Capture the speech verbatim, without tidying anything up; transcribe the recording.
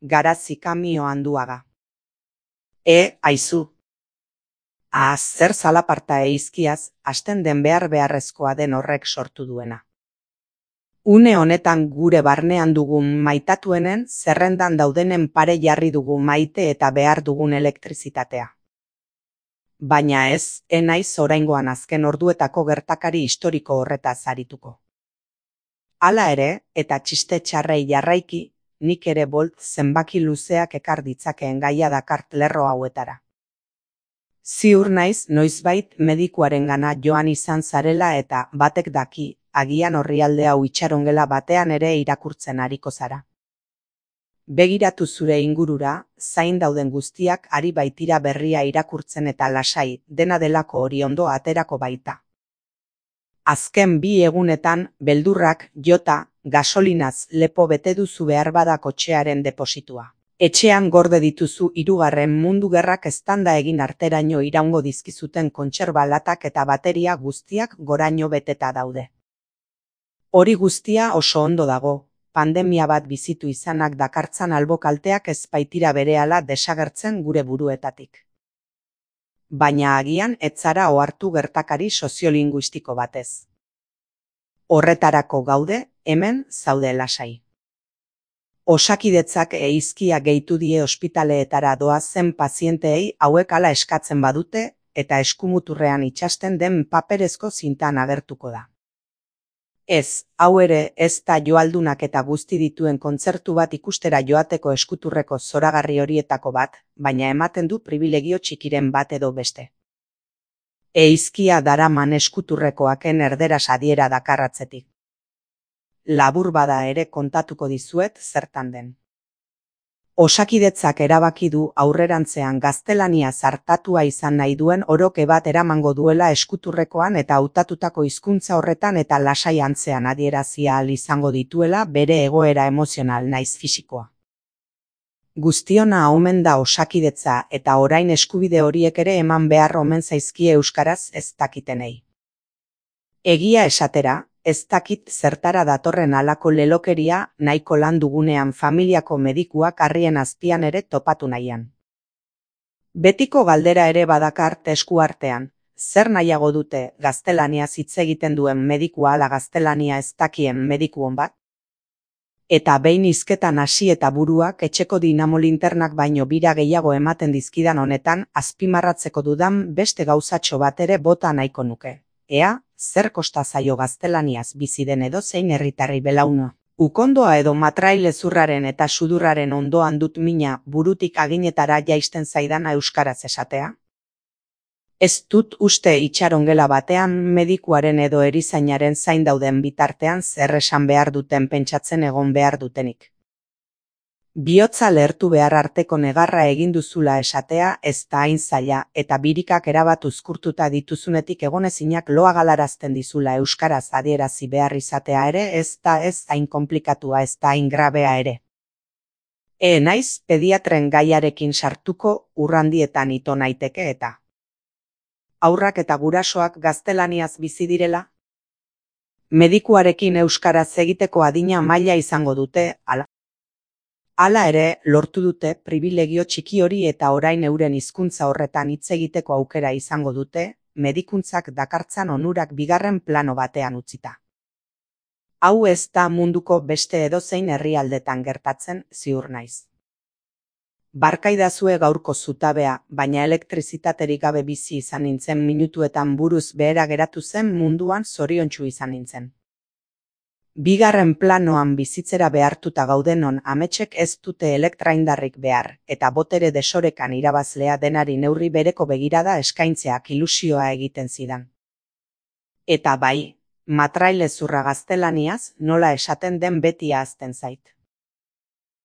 Garazi kamio handuaga. E, aizu. Ah, zer zalaparta eizkiaz, hasten den behar beharrezkoa den horrek sortu duena. Une honetan gure barnean dugun maitatuenen zerrendan daudenen pare jarri dugu maite eta behar dugun elektrizitatea. Baina ez, enaiz oraingoan azken orduetako gertakari historiko horretaz arituko. Hala ere, eta txiste txarrei jarraiki, nik ere bolt zenbaki luzeak ekar ditzakeen gaia dakart lerro hauetara. Ziur naiz noizbait medikuarengana joan izan zarela eta batek daki, agian orrialde hau itxarongela batean ere irakurtzen ariko zara. Begiratu zure ingurura, zain dauden guztiak ari baitira berria irakurtzen eta lasai, dena delako hori ondo aterako baita. Azken bi egunetan, beldurrak, jota, gasolinaz lepo bete duzu behar bada kotxearen depositua. Etxean gorde dituzu hirugarren mundu gerrak eztanda egin arteraino iraungo dizkizuten kontserba latak eta bateria guztiak goraino beteta daude. Hori guztia oso ondo dago, pandemia bat bizitu izanak dakartzan albokalteak ez baitira berehala desagertzen gure buruetatik. Baina agian ez zara ohartu gertakari soziolinguistiko batez. Horretarako gaude, hemen zaude lasai. Osakidetzak eizkia gehitu die ospitaleetara doazen pazienteei hauek hala eskatzen badute eta eskumuturrean itxasten den paperezko zintan agertuko da. Ez, hau ere ez da joaldunak eta guzti dituen kontzertu bat ikustera joateko eskuturreko zoragarri horietako bat, baina ematen du pribilegio txikiren bat edo beste. Eizkia daraman eskuturrekoaken erderaz adiera dakarratzetik. Labur bada ere kontatuko dizuet zertan den. Osakidetzak erabaki du aurrerantzean gaztelania zartatua izan nahi duen oroke bat eramango duela eskuturrekoan eta hautatutako hizkuntza horretan eta lasai antzean adierazia ahal izango dituela bere egoera emozional naiz fisikoa. Guztiona omen da osakidetza eta orain eskubide horiek ere eman behar omen zaizkie euskaraz ez dakitenei. Egia esatera, ez dakit zertara datorren halako lelokeria nahiko lan dugunean familiako medikuak harrien azpian ere topatu nahian. Betiko galdera ere badakart esku artean, zer nahiago dute gaztelaniaz hitz egiten duen medikua ala gaztelania ez dakien medikuon bat? Eta behin hizketan hasi eta buruak etxeko dinamolinternak baino bira gehiago ematen dizkidan honetan azpimarratzeko dudan beste gauzatxo bat ere bota nahiko nuke. Ea, zer kosta zaio gaztelaniaz bizi den edozein herritarri belauna. Ukondoa edo matrailezurraren eta sudurraren ondoan dut mina burutik aginetara jaisten zaidana euskaraz esatea? Ez dut uste itxarongela batean medikuaren edo erizainaren zain dauden bitartean zer esan behar duten pentsatzen egon behar dutenik. Bihotza lehertu behar arteko negarra egin duzula esatea ez da hain zaila eta birikak erabat uzkurtuta dituzunetik egonezinak loa galarazten dizula euskaraz adierazi behar izatea ere ez da ez hain komplikatua ez da hain grabea ere. E naiz pediatren gaiarekin sartuko urrandietan ito naiteke eta. Aurrak eta gurasoak gaztelaniaz bizi direla? Medikuarekin euskaraz egiteko adina maila izango dute, ala. Hala ere, lortu dute pribilegio txiki hori eta orain euren hizkuntza horretan hitz egiteko aukera izango dute, medikuntzak dakartzan onurak bigarren plano batean utzita. Hau ez da munduko beste edozein herrialdetan gertatzen, ziur naiz. Barkaidazue gaurko zutabea, baina elektrizitaterik gabe bizi izan nintzen minutuetan buruz behera geratu zen munduan zoriontsu izan nintzen. Bigarren planoan bizitzera behartuta gaudenon ametsek ez dute elektraindarrik behar, eta botere desorekan irabazlea denari neurri bereko begirada eskaintzeak ilusioa egiten zidan. Eta bai, matrailezurra gaztelaniaz nola esaten den beti ahazten zait.